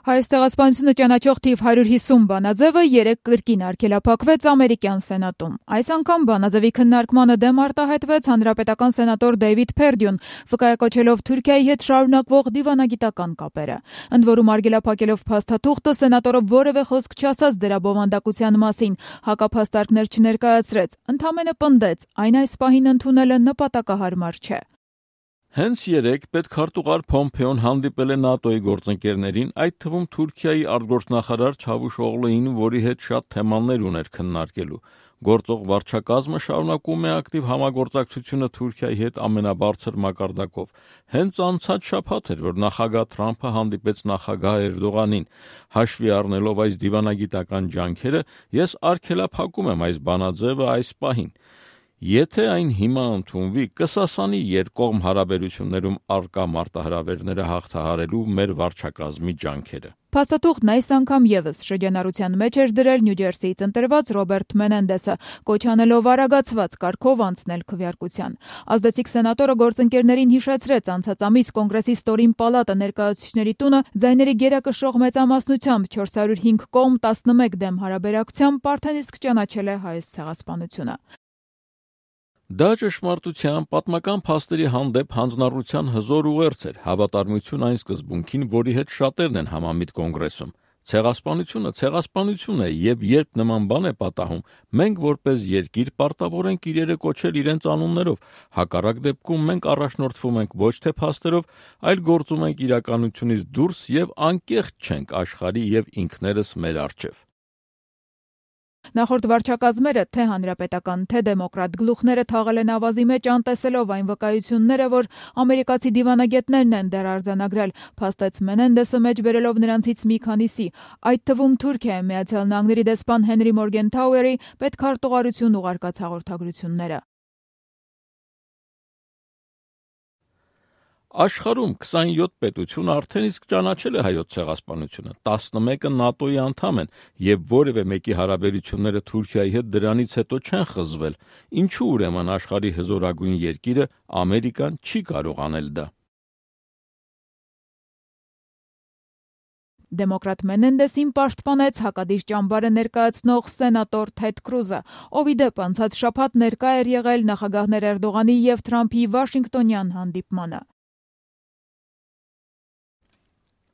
Հայոց ցեղասպանությունը ճանաչող թիվ 150 բանաձևը 3 կրկին արգելափակվեց ամերիկյան սենատում։ Այս անգամ բանաձևի քննարկմանը դեմ արտահայտվեց հանրապետական սենատոր Դեյվիդ Փերդյուն, վկայակոչելով Թուրքիայի հետ շարունակվող դիվանագիտական կապերը։ Ընդ որում արգելափակելով փաստաթուղթը, սենատորը որևէ խոսք չասաց դրա բովանդակության մասին, հակափաստարկներ չներկայացրեց, ընդամենը պնդեց, այն այս պահին ընդունելը նպատակահարմար չէ։ Հենց երեկ պետքարտուղար Փոմփեոն հանդիպել է ՆԱՏՕ-ի գործընկերներին, այդ թվում Թուրքիայի արտգործնախարար Չավուշօղլուին, որի հետ շատ թեմաներ ուներ քննարկելու։ Գործող վարչակազմը շարունակում է ակտիվ համագործակցությունը Թուրքիայի հետ ամենաբարձր մակարդակով։ Հենց անցած շաբաթ էր, որ նախագահ Թրամփը հանդիպեց նախագահ Էրդողանին։ Հաշվի առնելով այս դիվանագիտական ջանքերը, ես արգելափակում եմ այս բանաձևը այս պահին։ Եթե այն հիմա ընդունվի, կսասանի երկկողմ հարաբերություններում առկա մարտահրավերները հաղթահարելու մեր վարչակազմի ջանքերը։ Փաստաթուղթն այս անգամ եւս շրջանառության մեջ էր դրել Նյու Ջերսիից ընտրված Ռոբերտ Մենենդեսը, կոչ անելով արագացված կարգով անցնել քվեարկության։ Ազդեցիկ սենատորը գործընկերներին հիշեցրեց անցած ամիս Կոնգրեսի ստորին պալատը ներկայացուցիչների տունը ձայների գերակշռող մեծամասնությամբ 405 կողմ 11 դեմ հարաբերակցությամբ արդեն ճանաչել է հայոց ցեղասպանությունը։ Դա ճշմարտության պատմական փաստերի հանդեպ հանձնառության հզոր ուղերձ էր, հավատարմություն այն սկզբունքին, որի հետ շատերն են համամիտ Կոնգրեսում։ Ցեղասպանություն է, եւ երբ նման բան է պատահում, մենք որպես երկիր պարտավոր ենք իրերը կոչել իրենց անուններով։ Հակառակ դեպքում մենք առաջնորդվում ենք ոչ թե փաստերով, այլ գործում ենք իրականությունից դուրս եւ անկեղծ չենք աշխարհի եւ ինքներս մեր առջեւ։ Նախորդ վարչակազմերը թե հանրապետական, թե դեմոկրատ գլուխները թաղել են ավազի մեջ անտեսելով այն վկայությունները, որ ամերիկացի դիվանագետներն են դեռ արձանագրել, փաստեց Մենենդեսը մեջ բերելով նրանցից մի քանիսի, այդ թվում Թուրքիայի Միացյալ Նահանգների դեսպան Հենրի Մորգենթաուերի պետքարտուղարություն ուղարկած հաղորդագրությունները։ Աշխարհում 27 պետություն արդեն իսկ ճանաչել է հայոց ցեղասպանությունը, 11-ը ՆԱՏՕ-ի անդամ են եւ որևէ մեկի հարաբերությունները Թուրքիայի հետ դրանից հետո չեն խզվել։ Ինչու ուրեմն աշխարհի հզորագույն երկիրը Ամերիկան չի կարող անել դա։ Դեմոկրատ Մենենդեսին պաշտպանեց հակադիր ճամբարը ներկայացնող սենատոր Թեդ Կրուզը, ով ի դեպ անցած շաբաթ ներկա էր եղել նախագահներ Էրդողանի եւ Թրամփի Վաշինգտոնյան հանդիպմանը։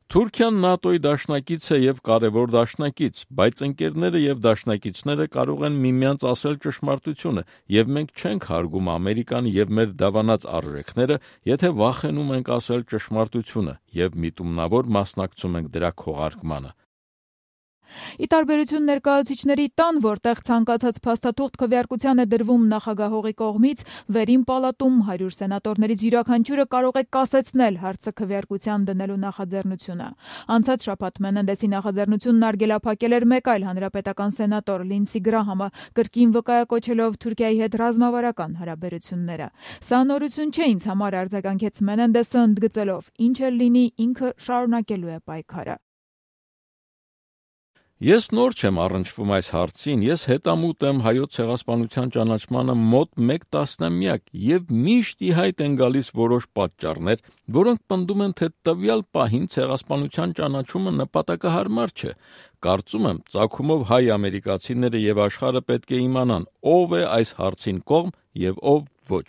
Թուրքիան ՆԱՏՕ-ի դաշնակից է եւ կարևոր դաշնակից, բայց ընկերները եւ դաշնակիցները կարող են միմյանց ասել ճշմարտությունը, եւ մենք չենք հարգում Ամերիկան եւ մեր դավանած արժեքները, եթե վախենում ենք ասել ճշմարտությունը եւ միտումնավոր մասնակցում ենք դրա քողարկմանը։ Ի տարբերություն ներկայացուցիչների տան, որտեղ ցանկացած փաստաթուղթ քվեարկության է դրվում նախագահողի կողմից, վերին պալատում 100 սենատորներից յուրաքանչյուրը կարող է կասեցնել հարցը քվեարկության դնելու նախաձեռնությունը։ Անցած շաբաթ Մենենդեսի նախաձեռնությունն արգելափակել էր մեկ այլ հանրապետական սենատոր Լինսի Գրահամը, կրկին վկայակոչելով Թուրքիայի հետ ռազմավարական հարաբերությունները։ Սա նորություն չէ ինձ համար, արձագանքեց Մենենդեսը ընդգծելով, ինչ էլ լինի, ինքը շարունակելու է պայքարը։ Ես նոր չեմ առնչվում այս հարցին, ես հետամուտ եմ հայոց ցեղասպանության ճանաչմանը մոտ 1 տասնամյակ եւ միշտ ի հայտ են գալիս որոշ պատճառներ, որոնք պնդում են, թե տվյալ պահին ցեղասպանության ճանաչումը նպատակահարմար չէ։ Կարծում եմ, ծագումով հայ ամերիկացիները եւ աշխարհը պետք է իմանան, ով է այս հարցին կողմ եւ ով ոչ։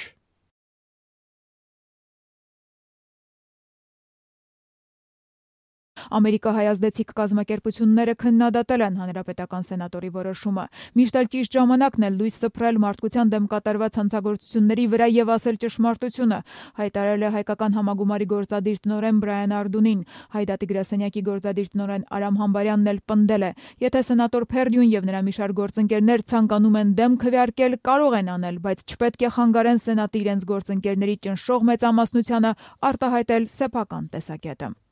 Ամերիկահայ ազդեցիկ կազմակերպությունները քննադատել են հանրապետական սենատորի որոշումը։ Միշտ էլ ճիշտ ժամանակն է լույս սփռել մարդկության դեմ կատարված հանցագործությունների վրա եւ ասել ճշմարտությունը, հայտարարել է հայկական համագումարի գործադիր տնօրեն Բրայան Արդունին։ Հայ դատի գրասենյակի գործադիր տնօրեն Արամ Համբարյանն էլ պնդել է. եթե սենատոր Փերդյուն եւ նրա մի շարք գործընկերներ ցանկանում են դեմ քվեարկել, կարող են անել, բայց չպետք է խանգարեն սենատի իրենց գործընկերների ճնշող մեծամասնությանը արտահայտել սեփական տեսակետը։